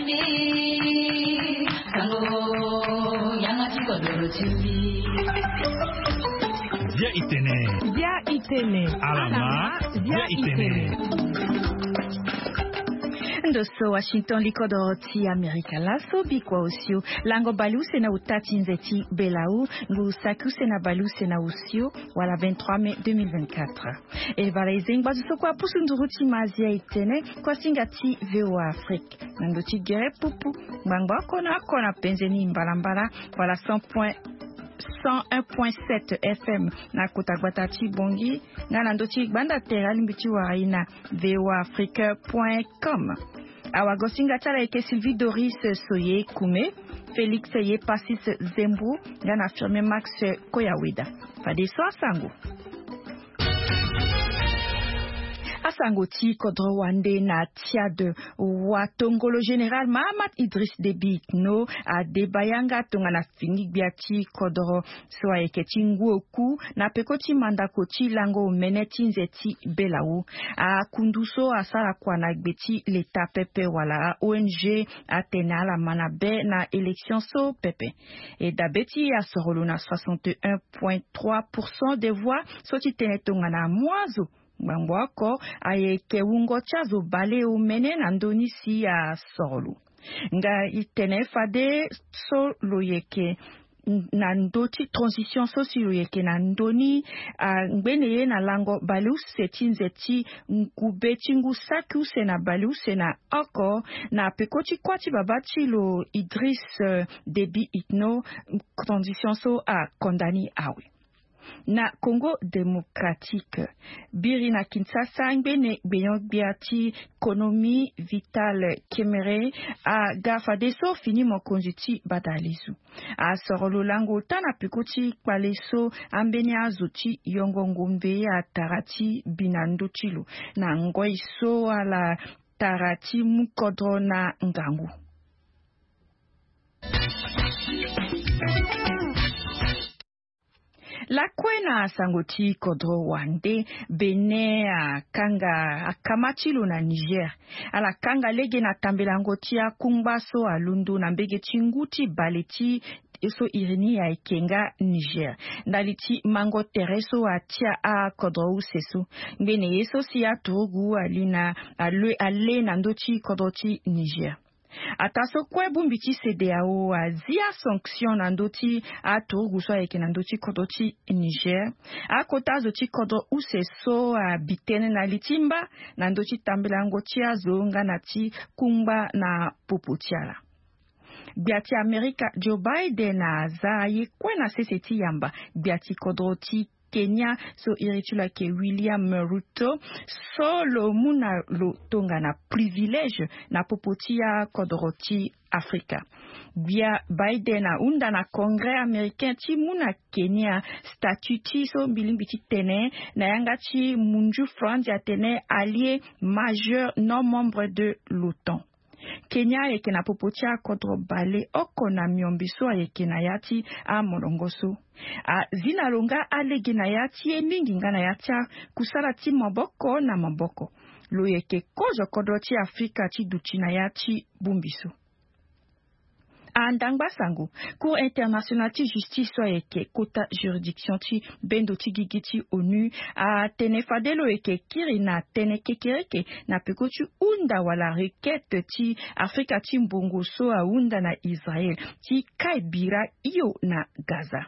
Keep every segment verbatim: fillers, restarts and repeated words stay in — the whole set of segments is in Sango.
Bia itene. Bia itene. Alama. Bia itene. Ndo so Washington, likodoro ti Amerika laso, bikua osio lango baleuse na uta ti nze ti belau, ngu saki use na baleuse na osio, wala vingt-trois mai deux mille vingt-quatre. E bala e zengi ngbazu so kue apusu nduru ti mazia e tene kuasinga ti VOA Afrique na ndo ti gere pupu, ngbangba oko na oko na penze ni mbalambala, wala cent point, cent un point sept F M na kota gbata ti Bongi, nga na ndo ti gbanda tere alingbi ti wara e na VOA Afrique point com. Awagosinga ti ala ayeke Sylvie Doris Soye Kume, Félix Yepasis Zembro, nga na Firmin Max Koyaweda. Fadeso asango. Asango ti kodro wande na Tchad. Watongolo général Mahamat Idriss Déby Itno adeba yanga tongana fini gbia ti kodro so ayeke ti ngu oku na peko ti mandako ti lango omene ti nze ti belau. Akundu so asara kua na gbe ti leta pepe wala a O N G atene ala ma na be na élection so pepe. E dabe ti e asorolo na soixante et un point trois pour cent des voix so ti tene tongana amu azo ngbangbo oko ayeke wungo ti azo baleomene na ndö ni si asorolo. Nga e tene fade so lo yeke na ndö ti transition so si lo yeke na ndö ni, angbene ye na lango baleuse ti nze ti ngube ti ngu saki use na baleuse na oko na peko ti kuâ ti babâ ti lo Idriss, euh, Déby Itno, transition so akonda ni awe. Na Congo Démocratique, biri na Kinshasa, ngbene gbenyo-gbia ti konomi Vital Kamerhe aga fadeso fini mokonzi ti badalizu. Asoro lo lango ota na peko ti kpale so ambeni azo ti yongo ngombe atara ti bi na ndö ti lo na ngoi so ala tara ti mu kodro na ngangu. Lakue na sango ti kodro wande, Bénin akanga akama ti lo na Niger. Ala kanga lege na tambelango ti akungba so alondo na mbege ti ngu ti bale ti so iri ni ayeke nga Niger, ndali ti mango tere so atia akodro use so. Ngbene ye so si aturugu ali na ale, ale na ndö ti kodro ti Niger. Ataa so kue bongbi ti CEDEAO azi asanction na ndö ti aturugu so ayeke na ndö ti kodro ti Niger. Akota azo ti kodro use so abi tënë na li ti mba na ndö ti tambelango ti azo nga na ti kungba na popo ti ala. Gbia ti Amerika Joe Biden aza ye kue na sese ti yamba gbia ti kodro ti Kenya so iri ti lo ayeke William Ruto, so lo mu na lo tongana privilège na popo ti akodro ti Afrika. Gbia Biden ahunda na Congrès américain ti mu na Kenya statut ti so mbi lingbi ti tene na yanga ti munju Franzi atene allié majeur non membre de l'OTAN. Kenya ayeke na popo ti akodro baleoko na miombe so ayeke na ya ti amolongo so. Azi na lo nga alege na ya ti e mingi nga na ya ti akusala ti maboko na maboko. Lo yeke kozo kodro ti Afrika ti duti na ya ti bongbi so. Andangba sango, Cour internationale ti justice so ayeke kota juridiction ti bendo ti gigi ti ONU atene fade lo yeke kiri na tënë kekereke na peko ti hunda wala requête ti Afrika ti mbongo so ahunda na Israël ti kai bira hio na Gaza.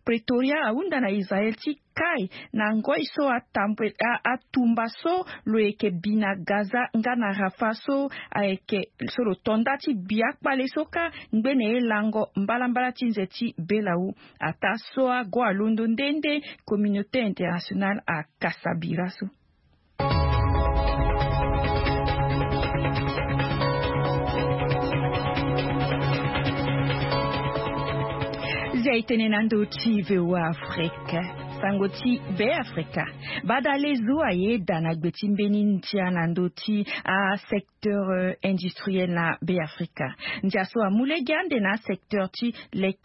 Pretoria ahunda na Israël ti kai na ngoi so atambe, a, atumba so lo yeke bi na Gaza nga na Rafah so ayeke so lo to nda ti bi akpale so kâ ngbene ye lango mbalambala ti nze ti belau. Ataa so ago alondo nde nde, communauté internationale akasa bira so. Zia e tene na ndö ti VOA Afrique. Sango ti Beafrika. Badalezo ayeda na gbe ti mbeni ndia na ndö ti asecteur industriel na Beafrika. Ndia so amu lege ande na asecteur ti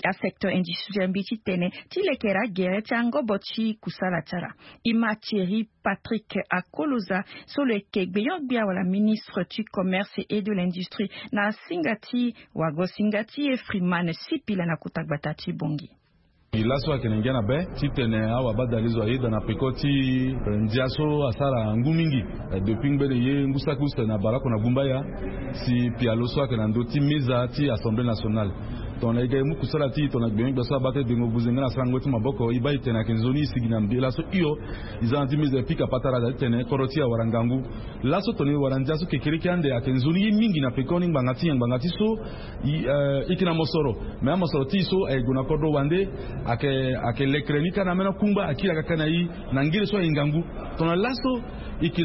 asecteur industriel mbi ti tene ti lekere agere ti angobo ti kusala ti ala. E ma Thierry Patrick Akoloza so lo yeke gbeon-gbia wala ministre ti commerce et de l'industrie na singa ti wago singa ti e Freeman Sipila na kota gbata ti Bongi. Laso ayeke na ngia na be titene awabadalezo ayeda na peko ti ndia so asara ngu mingi depuis ngbene ye ngu saki use na baleoko na gumbaya. Si pialo so ayeke na ndö ti meza ti assemblée nationale, tongana e ga e mu kusala ti e tongana gbenyo-gbia so abaa ti dengo buze nga na sarango ti maboko, e baa e tene ayeke nzoni e sigi na mbela so hio. E za na ti meza e pika patara aza ti tene kodro ti e awara ngangu. Laso tongana e wara ndia so kekereke ande ayeke nzoni ye mingi na pekoni ngbanga ti nyen? Ngbanga ti so e yeke na mosoro, me amosoro ti e so aye gue na kodro wande. Ayeke lekere ni kâ na ambeni akungba akiri aga kâ na e. Na ngere so aye ngangu, tongana laso e yeke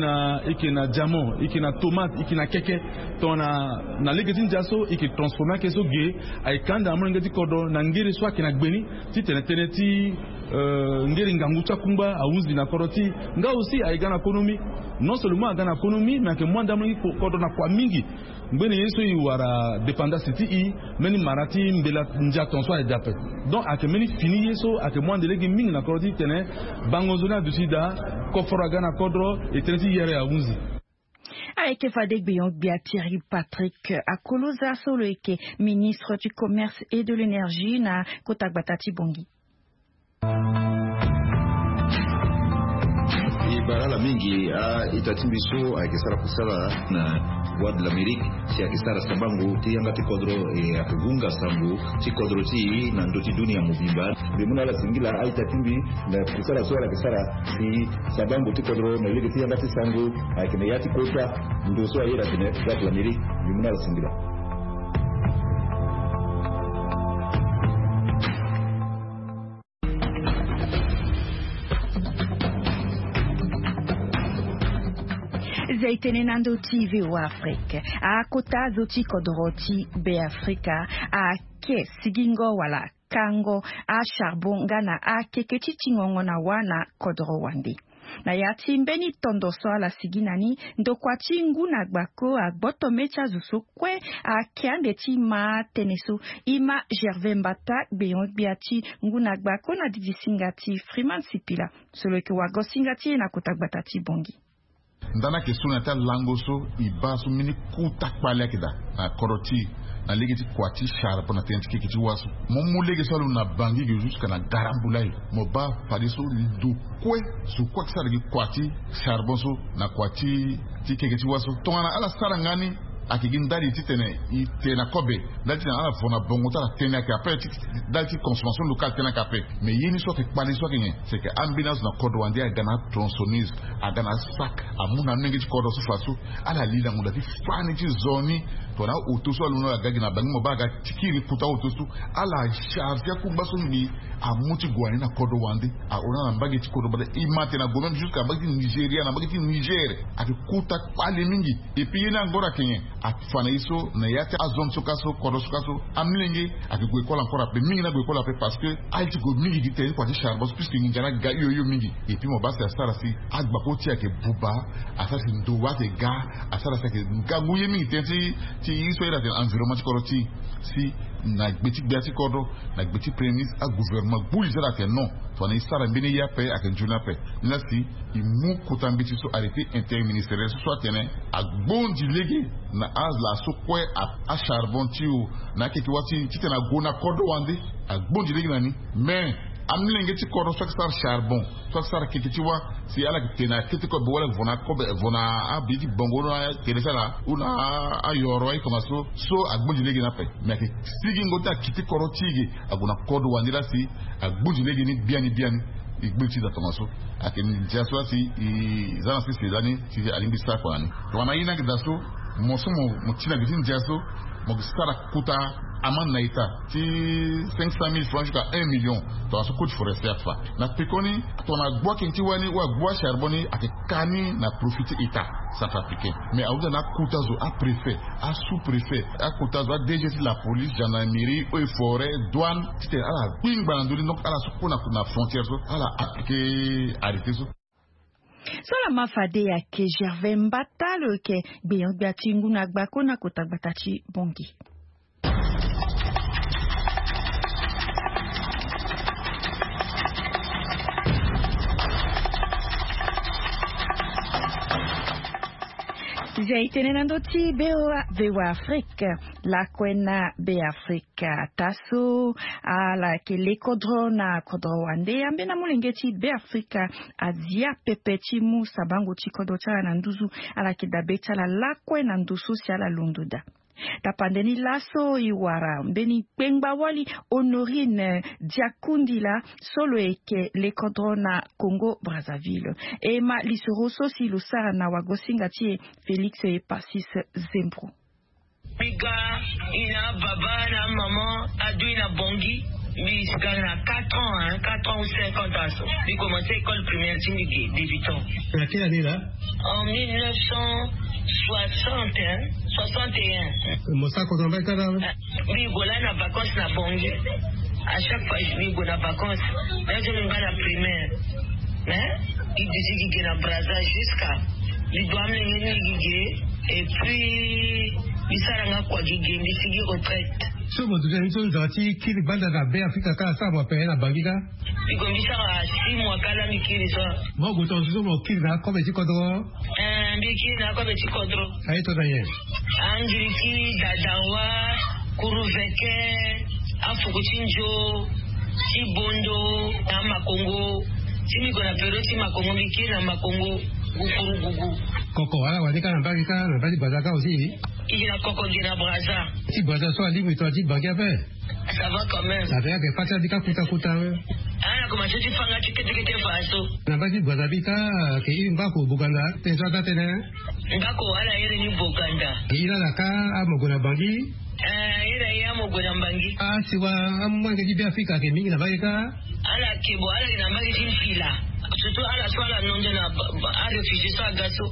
na diamant, e yeke na tomate, e yeke na keke, tongana na lege ti ndia so e yeke transformer ake so ge, aye ka ande na molenge ti kodro na ngere so ayeke na gbe ni. Titene tënë ti ngeri ngangu ti akungba ahunzi na kodro ti e. Nga aussi aye ga na konomi. Non seulement aga na konomi me ayeke mu ande amolenge ti kodro na kua mingi. Ngbene ye so e wara dépendance ti e, mbeni mara ti mbela ndia ton so aye de ape. Donc ayeke mbeni fini ye so ayeke mu ande lege mingi na kodro ti tene bango nzoni aduti daa, koforo aga na kodro, e tënë ti yere ahunzi. Ayeke fade gbeon-gbia Thierry Patrick Akoloza so lo yeke ministre du commerce et de l'énergie na kota gbata ti Bongi. E bara ala mingi a-ita ti mbi so ayeke sara kusala na Voix de l'Amérique, si ayeke sara sabango ti yanga ti kodro, e ayeke hunga sango ti kodro ti e na ndö ti dunia mobimba. Mbi mu na ala singila a-ita ti mbi na kusala so ala yeke sara si sabango ti kodro na lege ti yanga ti sango ayeke na ya ti kota ndo so ayeda atene Voix de l'Amérique. Mbi mu na ala singila. Zai tënë na ndö ti V O A Afrique. Akota azo ti kodro ti Beafrika ake sigingo wala kango acharbon nga na akeke ti tingongo na wâ na kodro wande. Na ya ti mbeni tondo so ala sigi na ni, ndokua ti ngu na gbako agboto mê ti azo so kue ake ande ti ma atënë so. E ma Gervais Mbata, gbeon-gbia ti ngu na gbako na didi singa ti Freeman Sipila so lo yeke wago singa ti e na kota gbata ti Bongi. Ndani ayeke so na ya ti alango so e baa so mbeni kota kpale ayeke daa na kodro ti e na lege ti kua ti charbon na tënë ti keke ti wâ so. Mo mu lege so alo na Bangui ge jusque na Garambulaye, mo baa fadeso ndo kue zo kue ayeke sara gi kua ti charbon so na kua ti keke ti wâ so. Tongana ala sara nga ni, ayeke gi ndali titene e te na kobe, ndali titene ala vo na bongo ti ala tënë ayeke ape ti ndali ti consommation locale tënë ayeke ape. Mais ye ni so ayeke kpale so ayeke nyen? C'est que ambeni azo na kodro wande aga na atronçonneuse, aga na asac, amu na amolenge ti kodro so fa so ala li na ngonda ti fani ti zo ni. Tongana aoto so alondo ala ga gi na Bangui, mo baa aga ti kiri kota aoto so, ala charge akungba so mbi amu ti gue na ni na kodro wande. Ahon na mbage ti kodro bata, e ma tene ague même jusque na mbage ti Nigeria, na mbage ti Niger. Ayeke kota kpale mingi. Et puis ye ni angora ayeke nyen? Afa na e so na ya ti azone so ka so, kodro so ka so, amolenge ayeke gue école encore ape, mingi ni ague école ape parce que aye ti gue mingi gi tene ti kua ti charbon so puisque nginza ni aga hio hio mingi. Et puis mo baa si asara si agbako ti e ayeke buba, asara si ndo wâ ayeke ga, asara si ayeke ngangu ye mingi tënë ti ti ye so ayeda atene environnement ti kodro ti e. Si na gbe ti gbia ti kodro, na gbe ti premier ministre, agouvernement gbu li ti ala atene non, tongana e sara mbeni ye ape ayeke nzoni ape. Ni laa si e mu kota mbeti so arrêté interministériel so so atene agbondi lege na ala so kue acharbon ti e o, na akeke wâ ti e titene ague na kodro wande, agbondi lege na ni. Mais amolenge ti kodro so ayeke sara charbon, so ayeke sara keke ti wâ, si ala yeke tene akete kobe wala vo na kobe, vo na abi ti bongo na tere ti ala ou na ayoro aye tongaso, so agbondi lege ni ape. Mais ayeke sigingo ti akiti kodro ti e ge, ague na kodro wande laa si agbondi lege ni biani biani. E gbondi ti e daa tongaso. Ayeke ndia so laa si e za na sese lani si alingbi sara kua na ni. Tongana ye ni ayeke daa so, mo so mo ti na gbe ti ndia so, mo yeke sara kota Amende na état ti cinq cent mille francs jusqu'à un million. Tongana so code forestier afa na pekoni, tongana agbu akini ti wani ou agbu acharbon ni, ayeke ka ni na profit ti état centrafricain. Mais ahunda na akota zo, apréfet, asous-préfet, akota zo, adg ti la police, gendarmerie, eaux et forêts, douane, titene ala kpingba na ndö ni. Donc ala so kue na frontière so ala appliquer arrêté so. So lama fade ayeke Gervais Mbata, lo yeke gbenyo-gbia ti ngu na gbako na kota gbata ti Bangui. Zia e tene na ndö ti Beafrika, lakue na Beafrika. Ka taso, ala yeke le kodro na kodro wande, ambeni amolenge ti Beafrika azia pepe ti mu sabango ti kodro ti ala na nduzu. Ala yeke dabe ti ala lakue na ndo so si ala londo daa. Tapande ni laso e wara mbeni kpengba-wali Honorine Diakundila, so lo yeke le kodro na Congo Brazzaville. E ma lisoro so si lo sara na wagosinga ti e Félix Epasis Zembro. Mbi ga, i na ababa na amama adu i na Bangui. Mbi si ga na quatre ans, hein, quatre ans ou cinquante ans so. Mbi commencé école primaire ti mbi ge, débutant. Na quelle année là? En mille neuf cent soixante, hein, soixante et un. Mo sara kodro na mbage kâ? Mbi gue laa na vacances na Bangui. À chaque fois mbi gue na vacances. Là je mbi baa na primaire. Hein? Mbi duti gi ge na Brazza jusqu'à mbi gue amolenge ni gi ge. Et puis mbi sara nga kua gi ge, mbi sigi retraite. So mo duti na ni so nzara ti kiri gbanda na Beafrika kâ asara mo ape na Bangui kâ? Mbi gue mbi sara six mois kâ laa mbi kiri so. Mo gue tongaso so mo kiri na akobe ti kodro? Eh, mbi kiri na akobe ti kodro. Aye tongana nyen? Angiriki, dadawa, kuruveke, afuku ti nzo, ti bondo, na makongo. Ti mbi gue na période ti makongo, mbi kiri na makongo, gukurugugu. Koko ala wani kâ na mbage kâ, na mbage ti Brazza kâ aussi? I gi na koko gi na Brazza. Ti Brazza so alingbi tongana ti Bangui ape? Ça va quand même. Avec ake fa ti ala ti kâ kuta kuta. Ah, na komanse ti fa nga ti kete kete fa so. Na mbage ti Brazza bi kâ, ake iri ngbako Boganda, tënë so ada tënë. Ngbako ala iri ni Boganda. Iri ala kâ, amo gue na Bangui. Eh, iri aye amo gue na Bangui. Ah, si wa, amolenge ti Beafrika ake mingi na mbage kâ. Ala ke bo, ala yeke na mbage ti mpila. Surtout ala so ala nondo na ba, ba, aréfugié so aga so.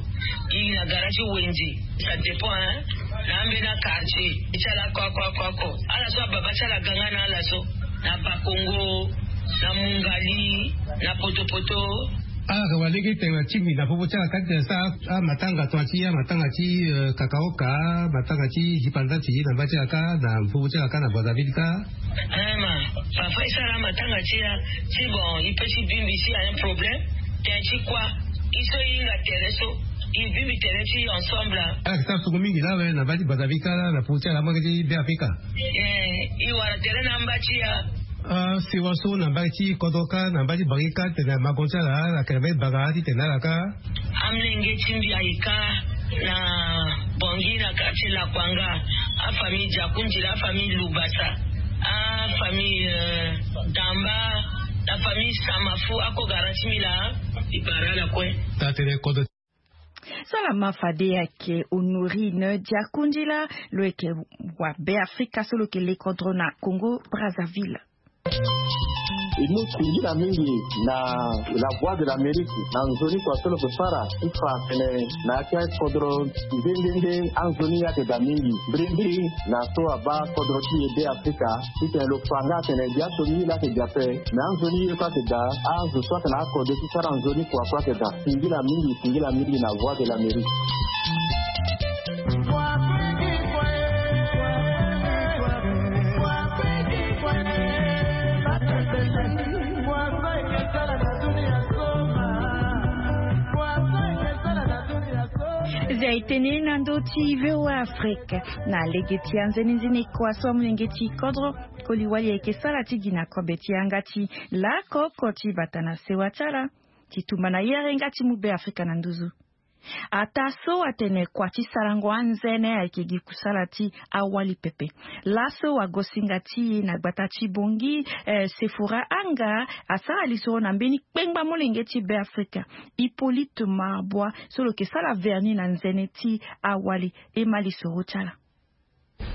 I na gara ti wenze. Ça dépend, hein. Na ambeni quartier ti ala ko, ko, ko, ko. Ala so ababa ti ala ga nga na ala so. Na Bakongo, na Mungali, na Potopoto. Ala ka wa lege tene ti mbi na popo ti ala kâ titene sara amatanga tongana ti amatanga ti, eh, kakaoka, matanga ti zipanzanti na mba ti ala kâ, na popo ti ala kâ na Brazzaville kâ. Eh ma, parfois e sara amatanga ti e, ti bon, e peut ti bingbi si a un problème. Tene ti kua, e so e hinga tere so, e bingbi tere ti ensemble. Ala yeke sara sungu mingi laa awe na mba ti Brazzaville kâ laa na popo ti ala amolenge ti Beafrika. Eh, e wara tere na amba ti e. Ah, sewa so na mba ti kodro kâ, na mba ti Bangui kâ, titene makongo ti ala, ala yeke na mbeni bagara titene ala kâ. Amolenge ti mbi aye kâ na Bangui na quartier Lakwanga. Afamille Diakundila, afamille Lubasa, afamille, euh, Damba, la famille Samafu, ako gara ti mbi laa. E bara ala kue. Taa tënë kodro. So lama fade ayeke Honorine Diakundila, lo yeke wa Beafrika so lo yeke le kodro na Congo Brazzaville. E mu singila mingi na La Voix de l'Amérique na nzoni kua so lo yeke fara ti fa tene na ya ti akodro nde nde nde anzoni ayeke daa mingi. Mbirimbiri na so abaa kodro ti e Beafrika, titene lo fa nga atene gi aso ni ye laa ayeke daa ape. Me anzoni ye so ayeke daa, azo so ayeke na akode ti sara nzoni kua so ayeke daa. Singila mingi, singila mingi na Voix de l'Amérique. Zia e tene na ndö ti V O A Afrique. Na lege ti anzenenzene kua so amolenge ti kodro koli wali ayeke sara ti gi na kobe ti yanga ti lako oko ti bata na sewa ti ala ti tumba na yere nga ti mu Beafrika na nduzu. Ataa so atene kua ti sarango anzene ayeke gi kusala ti awali pepe. Laso wagosinga ti e na gbata ti Bangui, eh, Sephora Anga, asara lisoro na mbeni kpengba molenge ti Beafrika, Hippolyte Marbois, so lo yeke sara vernis na nzene ti awali. E ma lisoro ti ala.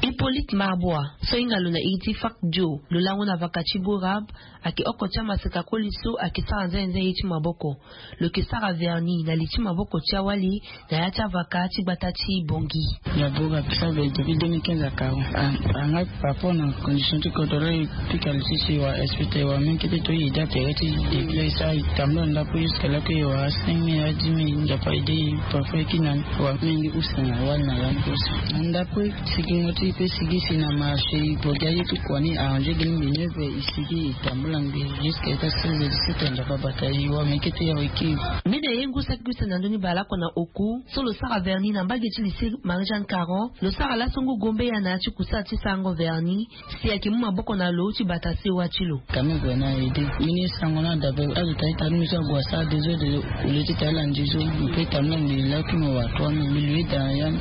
Hippolyte Marbois, so hinga lo na iri ti Fak Dio, lo lango na vaka ti Borab, ayeke oko ti amaseka koli so ayeke sara nzenze ye ti maboko. Lo yeke sara verni na li ti maboko ti awali na ya ti avaka ti gbata ti Bongi. Ya Borab sara verni depuis deux mille quinze à quarante. Anga par rapport na condition ti kodoro e pika lo ti si wa expite wa mingi kete to e da tere ti depuis e sara e tambula ndaku jusque là que e wara cinq mille à dix mille. Nzapa e de e parfois e kiri na wa mingi use na wali na ya ni use. Na ndaku sigingo ti e pe sigi si na marché e bogi aye ti kua ni arrangé gi ni mbi neuf heures e sigi e tambula ngbi jusque ita seize heures dix-sept heures Nzapa abata e wa meke ti ya e kiri. Mbi na ye ngu saki use na ndoni baleoko na oku so lo sara verni na mbage ti lycée Marie Jeanne Caron. Lo sara laso ngu gombe ya na ya ti kusala ti sarango verni. Si ayeke mu maboko na lo ti bata sewa ti lo. Kame gue na aide mbi ni sango na dabe azo ta ita ni mbi so ague asara deux heures de au lieu ti ta ala ndizo mbi pe ta mbi na mbi laki mo wa trois mille mbi lui da ya ni.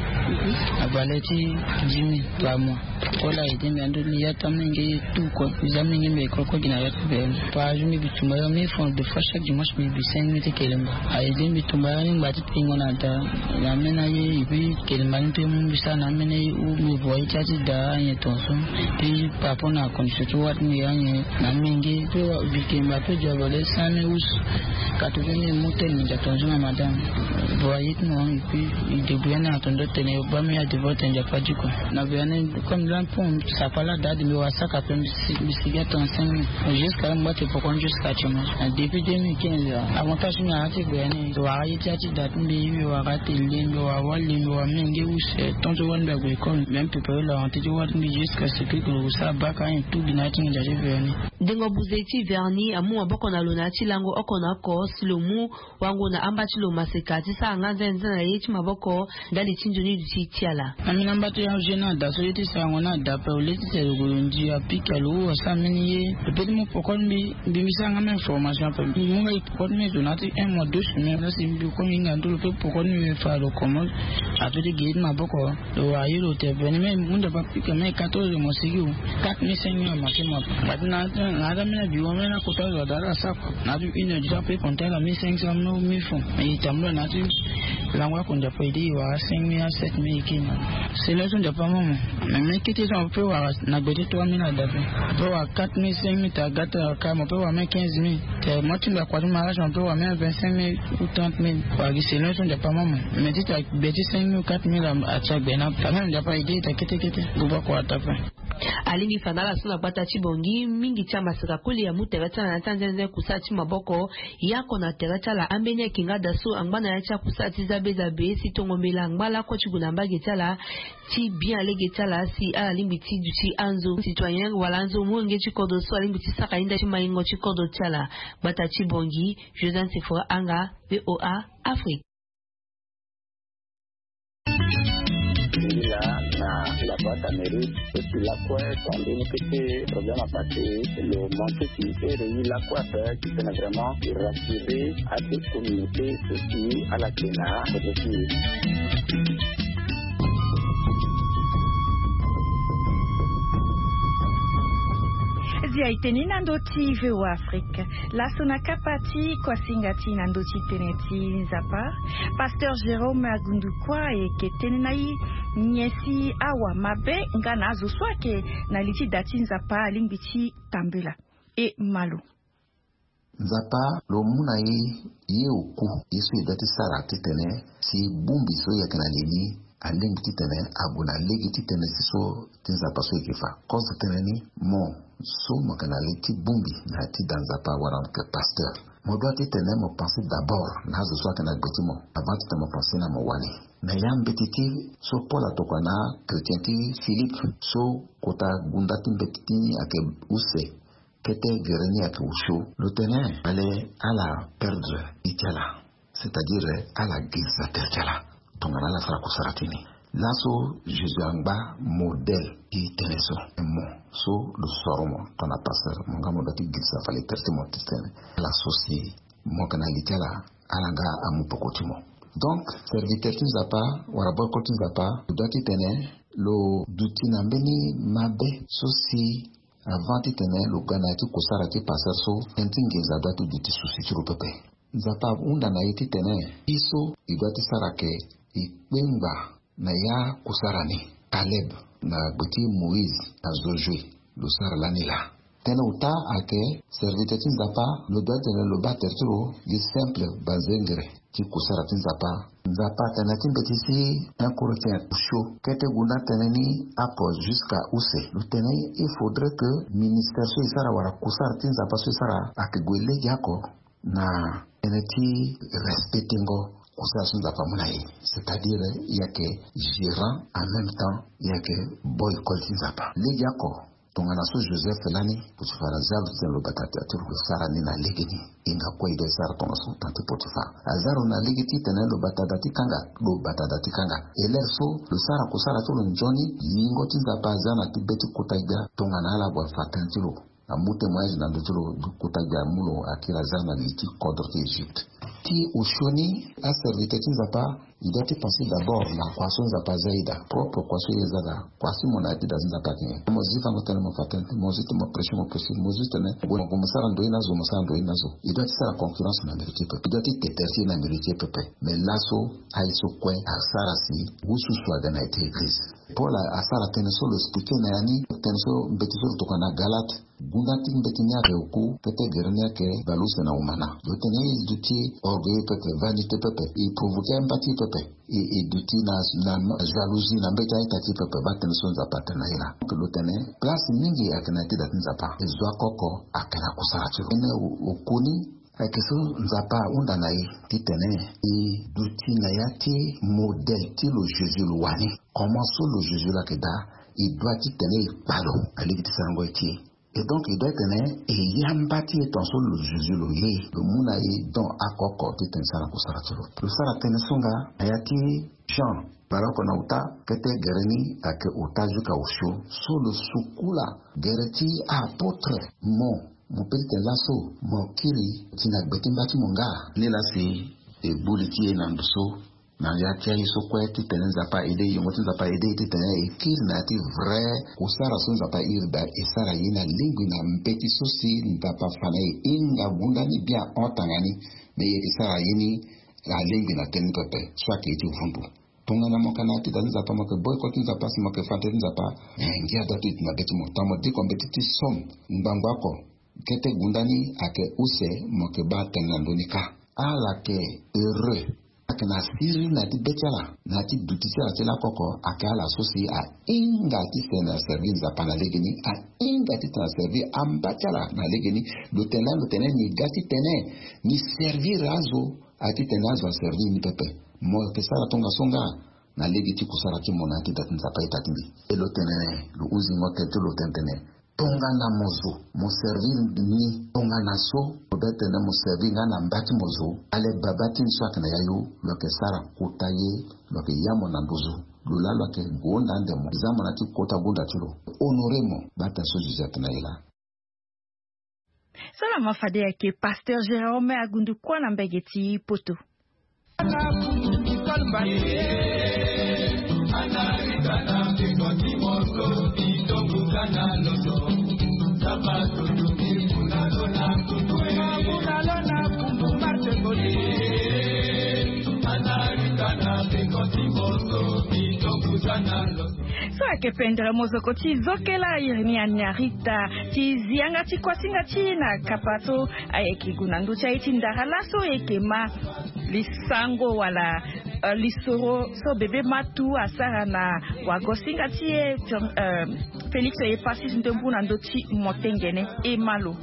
Abale ti dix mille par mois. Kola aide mbi ando mbi ya ta menge tout quoi mbi za menge mbi ekoko gi na ya ti bene. Par jour mbi bi tumba ya mille francs de fois chaque dimanche mbi bi cinq mille ti kelemba. Aide mbi tumba ya ni ngba ti pingo na da na ameni aye. Et puis kelemba ni pe mu mbi sara na ameni aye ou mbi voye ti ya ti da anyen tonso. Puis par rapport na condition ti wâ ti mbi anyen na amenge pe wa bi kelemba pe du abale cent mille ou quatre-vingt mille mu tene ndia tonso na madame. Voye ti mo et puis e débrouille ani na tonso tene ba mbi ya devoir tene ndia pa du quoi. Na bi ani comme là pon sapa la da de mbi wa saka pe mbi si mbi sigi a trente-cinq mille. Jusqu'à là mbi ba ti poko ni jusqu'à actuellement. Depuis deux mille quinze avantage ti mbi na ya ti gbe ani wara ye ti ya ti da ti mbi mbi wara tele mbi wara wali mbi wara menge use tonso wali mbi ague école même prépare la rentrée ti wali mbi jusqu'à ce que lo sara baka ani tout bi na ya ti nginza ti verni. Dengo buze ti verni amu maboko na lo na ya ti lango oko na oko si lo mu wango na amba ti lo maseka ti sara nga nzenze na ye ti maboko. Ndali ti nzoni duti ti ala. Na mbi na mba ti ajeune na da so ye ti sarango na da ape au lieu ti tene lo gue lo ndia pika lo ou asara mbeni ye. Lo pe ti mu poko ti mbi mbi mbi sara nga même formation ape mbi mu nga e poko ti mbi zo na ya ti un mois deux semaines na si mbi koni hinga ndo lo pe poko ti mbi fa lo komo. Ape ti ge ye ti maboko. Lo wara ye lo te veni me munda pa pika me quatorze mo sigi o. Quatre mille cinq mille amake mo ape. Ngati na na ada me na bi wo me na kota lo ada ala sa ko na adu une heure du temps pe konta ala mille cinq cents mille mille francs. E tambula na adu lango ako ndia pa ede e wara cinq mille à sept mille e ke na. Selon so ndia pa mo mo me me kete so mo pe wara na gbe ti trois mille ada pe. Pe wara quatre mille cinq mille ta gata ka mo pe wara me quinze mille. Te mo ti mbi akua ti mariage mo pe wara me vingt-cinq mille ou trente mille wara gi selon so ndia pa mo mo. Me ti ta gbe ti cinq mille ou quatre mille atia gbe na ta meme ndia pa ede ta kete kete. Guba kua ta pe. Alingbi fa na ala so na gbata ti bongi mingi ti amaseka koli amu tere ti ala na ya ti anzenze kusala ti maboko. Yako na tere ti ala ambeni ayeke nga da so angba na ya ti akusala ti zabe zabe si tongo mbela angba lako ti gue na mbage ti ala. Ti bien alege ti ala si ala lingbi ti duti anzo citoyen wala anzo molenge ti kodro so alingbi ti sara inda ti maingo ti kodro ti ala. Gbata ti bongi. Joseph sefora anga. Voa Afrique. Ila na la boîte à mérite et puis la quoi ton deni kete problème à passer. Le manque qui est réuni la quoi faire qui peut vraiment rassurer à toute communauté aussi à la kena. Zia e tene na ndö ti VOA Afrique. Laso na kapa ti kuasinga ti na ndö ti tene ti nzapa, pasteur Jérôme Agundukua ayeke tene na e nyen si awa mabe nga na azo so ayeke na li ti da ti nzapa alingbi ti tambela. E malo. Nzapa lo mu na e ye oku ye so e doit ti sara titene si bongbi so e yeke na li ni alingbi titene ague na lege ti tënë ti so ti nzapa so e yeke fa. Kozo tënë ni mo so mo yeke na li ti bongbi na ya ti da nzapa wala mo yeke pasteur, mo doit titene mo pense d'abord na azo so ayeke na gbe ti mo avant titene mo pense na mo wali. Na ya mbeti ti so Paul atokua na achrétien ti Philippe so kota gunda ti mbeti ti ni ayeke use. Kete gere ni ayeke osio. Lo tene ale ala perdre ye ti ala, c'est-à-dire ala girisa tere ti ala. Tongana ala sara kusara ti ni laso Jésus angba modèle ti tënë so. Mo so lo soro mo tongana pasteur mo nga mo doit ti girisa fale tere ti mo ti tene ala so si mo yeke na li ti ala, ala nga amu poko ti mo. Donc serviteur ti nzapa wala boko ti nzapa lo doit ti tene lo duti na mbeni mabe so si avant titene lo ga na ya ti kusara ti pasteur so tënë ti nginza doit ti duti susi ti lo pepe. Nzapa ahunda na e titene e so e doit ti sara ke e kpengba na ya kusara ni. Caleb Na gbe ti Moïse na Josué, lo sara lani laa. Tënë ota ayeke serviteur ti Nzapa, lo doit tene lo baa tere ti lo gi simple banzengere ti kusara ti Nzapa. Nzapa atene na ya ti mbeti ti un Corinthiens osio kete gunda tënë ni oko jusqu'à use. Lo tene il faudrait que ministère so e sara wala kusara ti Nzapa so e sara ayeke gue legeoko na tënë ti respectengo kusara so Nzapa amu na e. C'est-à-dire e yeke gérant, en même temps e yeke boy école ti Nzapa. Legeoko, tongana so Joseph lani, Potifar aza lo ti tene lo bata tere ti lo, lo sara ni na legeni. E hinga kue e doit e sara tongaso, tënë ti Potifar aza lo na lege ti tene lo bata da ti kanga, lo bata da ti kanga. E lere so lo sara kusara ti lo nzoni, yingo ti Nzapa aza na ti be ti kota gbia tongana ala gue afa tënë ti lo. Amu témoignage na ndö ti lo, kota gbia amu lo akiri aza na li ti kodro ti Egypte. Ti osio ni, aserviteur ti Nzapa, e doit ti penser d'abord na kua so Nzapa aza e daa, propre kua so e za daa, kua si mo na ya ti da ti Nzapa ayeke nyen? Mo zi fâ mo tene mo fa tënë, mo zi ti mo prêcher mo prêcher, mo zi tene mo gue mo sara ndoye ni azo, mo sara ndoye ni azo. E doit ti sara concurrence na mbiro ti e pepe, e doit ti te tere ti e na mbiro ti e pepe. Mais laso aye so kue asara si wu susu aga na ya ti église. Paul a- asara tënë so lo expliqué na ya ni, tënë so mbeti so lo tokua na Galate. Gunda ti mbeti ni ayeke oku, kete gere ni ayeke baleuse na humana. Lo tene e duti orgueil pepe, vanité pepe, e provoqué amba ti e pepe, e, e duti na, na, na jalousie na mbeti a-ita ti e pepe. Baa tënë so Nzapa atene na e laa. Lo tene place mingi ayeke na ya ti da ti Nzapa. E zo oko oko ayeke na kusara ti lo. Tënë o- oku ni ayeke so Nzapa ahunda na e titene e duti na ya ti modèle ti lo Jésus lo wani. Comment so lo Jésus lo ayeke daa, e doit titene e kpa lo na lege ti sarango ye ti e. Et donc e doit titene e yamba ti e tongaso lo Jésus lo ye, lo mu na e don oko oko titene e sara kusara ti lo. Lo sara tënë so nga na ya ti Jean, baleoko na ota, kete gere ni ayeke ota jusqu'à osio. So lo sukula gere ti a-apôtre, mo Mo peut ti tene laso mo kiri ti na gbe ti mba ti mo nga? Ni laa si e gbu li ti e na ndo so, na ya ti aye so kue titene Nzapa aidé e, yongo ti Nzapa aidé e titene e kiri na ya ti vrai kusara so Nzapa airi daa, e sara ye na lingbi na mbeti so si Nzapa afa na e. E hinga gunda ni bien hon tanga ni, me e yeke sara ye ni na lingbi na tënë ni pepe so ayeke ye ti vundu. Tongana mo yeke na ya ti da ti Nzapa, mo yeke boy école ti Nzapa si mo yeke fa tënë ti Nzapa, eh, ngia doit ti duti na be ti mo. Tongana mo diko mbeti ti somme ngbangba oko, kete gunda ni ayeke use, mo yeke baa tënë na ndö ni kâ. Ala yeke heureux, ala yeke na siriri na ya ti be ti ala, na ya ti duti ti ala ti lakoko, ayeke ala so si ahinga titene aservi Nzapa na legeni, ahinga titene aservi amba ti ala na legeni. Lo tene laa, lo tene ni ga titene ni servir azo, a titene azo aservi ni pepe. Mo yeke sara tongaso nga na lege ti kusara ti mo na ya ti da ti Nzapa ita ti mbi. E lo tene, lo hunzi ngo tene ti lo tene tene, tongana mo zo, mo servir ni, tongana so mo be tene mo servir nga na mba ti mo zo, ale Baba ti ni so ayeke na yayu, lo yeke sara kota ye, lo yeke ya mo na nduzu. Lo laa lo yeke gonda ande mo, za mo na ya ti kota gonda ti lo. Honoré mo, baa tene so Jésus atene na e laa. Solama fade ayeke Pasteur Jérôme Agundukua na mbege ti Poto. So ayeke pendere mozoko ti zokela iri ni Anarita ti zi yanga ti kuasinga ti e na kapa so ayeke gue na ndö ti aye ti ndara laso e yeke ma lisango wala, eh, lisoro so bebe matu asara na wagosinga ti e, eh, Félix Epasis Ndembu na ndö ti motengene. E ma lo.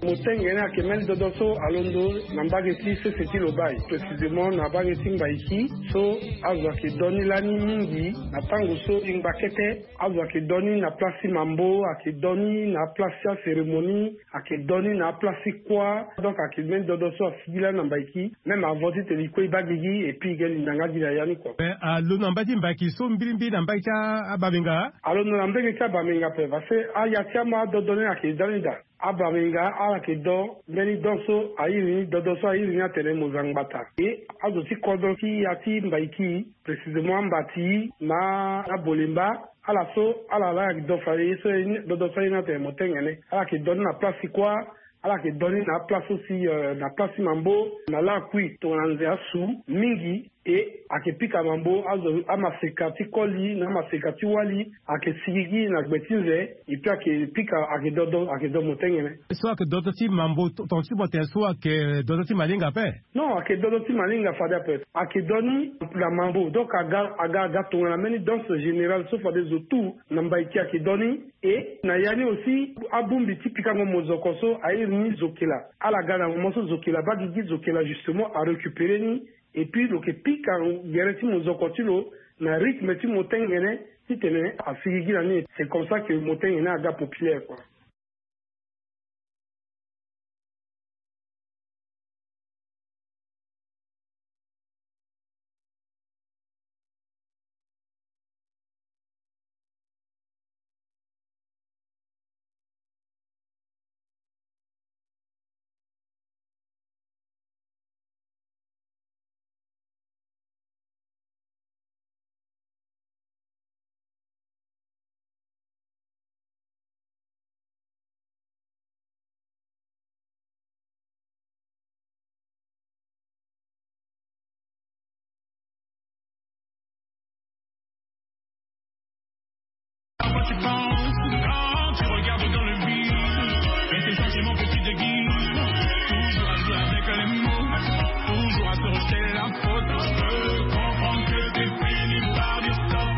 Motengene ayeke mbeni dodo so alondo na mbage ti sese ti Lobaye, précisément na mbage ti Mbaiki, so azo ayeke do ni lani mingi na tango so e ngba kete. Azo ayeke do ni na place ti mambo, ayeke do ni na place ti acérémonie, ayeke do ni na place ti kuâ. Donc ayeke mbeni dodo so asigi lani na Mbaiki. Même avant titene e kue e baa gigi, et puis e ga linda nga gi na ya ni kua. Eh, alondo na mbage ti Mbaiki so mbirimbiri na mbage ti a- abamenga? Alondo na mbage ti abamenga ape, parce que aya ti ama adodo ni ayeke da ni daa. Abamenga ala yeke do mbeni don so airi ni, dodo so airi ni atene mo za ngbata. E azo ti kodro ti ya ti Mbaiki, précisément Ambati na Abolemba, ala so ala laa ayeke do fade ye so, dodo so airi ni atene motengene. Ala yeke do ni na place ti kuâ, Ala yeke doni na aplace so si na place ti mambo na lakui tongana nze asu mingi. E ayeke pika mambo azo amaseka ti koli na amaseka ti wali. Ayeke sigigi na gbe ti nze. Epuis ayeke pika ayeke dodo ayeke do motengene. So ayeke dodo ti mambo tonga ti motene so ayeke dodo ti malinga ape? Non, ayeke dodo ti malinga fade ape. Ayeke doni na mambo donc aga aga aga tongana mbeni danse générale so fade zo tu na mbaiki ayeke doni. E na ya ni aussi abongbi ti pikango mozoko so airi ni zokela. Ala ga na moment so zokela baa gigi zokela justement arécupéré ni. Epuis lo yeke pika gere ti mozoko ti lo na rythme ti motengene titene asigigi na ni. C'est comme ça que motengene aga populaire kua. Quand tu penses, quand tu regardes dans le vide, mais tes sentiments que tu déguises, toujours à jouer avec les mots, toujours à te rejeter la faute. Je peux comprendre que t'es fini par du stop.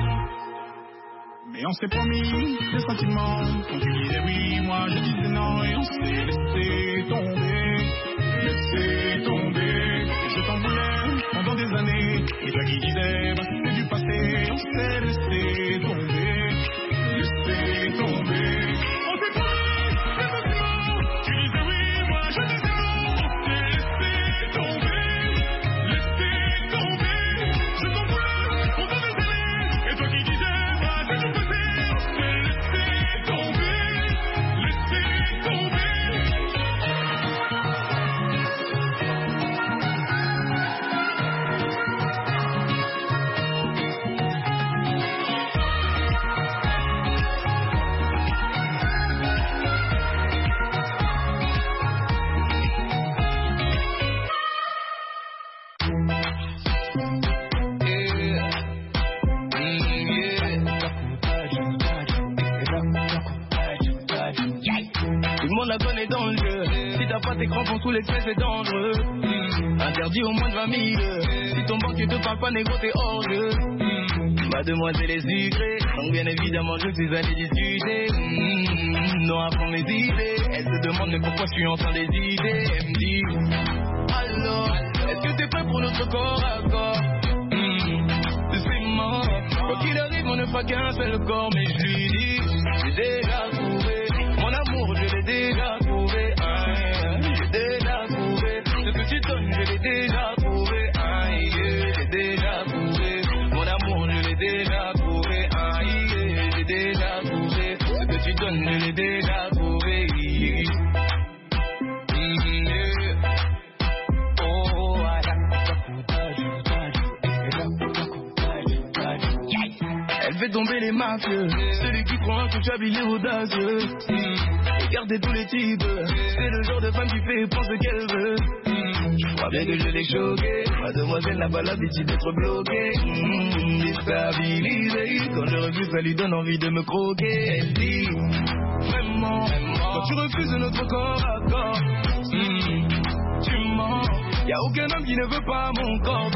Mais on s'est promis des sentiments. Quand tu disais oui, moi je disais non et on s'est laissé tomber. Laissé tomber. Je t'en voulais pendant des années. Et toi qui disais bah, c'est du passé, on s'est laissé tomber. Laissé tomber. On s'est promis des sentiments. Tu disais oui, moi je disais non. On s'est laissé tomber. Laissé tomber. Je t'en voulais pendant des années. Et toi qui disais bah, c'est du passé, on s'est laissé tomber. Laissé tomber. Tout le monde la connaît dans le jeu. Si t'as pas tes crampons sous les fesses, c'est dangereux. Hmm. Interdit au moins de vingt mille. Si ton banquier te parle pas, négro, t'es hors jeu. Hmm. Ma demoiselle est sucrée, donc bien évidemment, je suis allé discuter. Hmm. Non, à fond mes idées. Elle se demande, mais pourquoi je suis en train d'hésiter. Elle me dit, alors, est-ce que t'es prêt pour notre corps à corps? Hmm. C'est mort. Quoi qu'il arrive, on ne fera qu'un seul corps, mais je lui dis, j'ai déjà trouvé. Mon amour, je l'ai déjà trouvé. Hein, j'ai déjà trouvé. Ce que tu donnes, je l'ai déjà trouvé. Hein, yeah, j'ai déjà trouvé. Mon amour, je l'ai déjà trouvé. Hein, yeah, j'ai déjà trouvé. Ce que tu donnes, je l'ai déjà trouvé. Mm, yeah. Oh, voilà. Elle fait tomber les mafieux. Celui qui croit que tu as habillé audacieux. Hmm. Regardez tous les types. C'est le genre de femme qui fait prendre ce qu'elle veut. Hmm. Je crois bien que je l'ai choqué. Mademoiselle n'a pas l'habitude d'être bloquée. Hmm. Déstabilisée. Quand je refuse, ça lui donne envie de me croquer. Elle dit, vraiment, quand tu refuses notre corps à corps, hmm, tu mens. Y a aucun homme qui ne veut pas mon corps.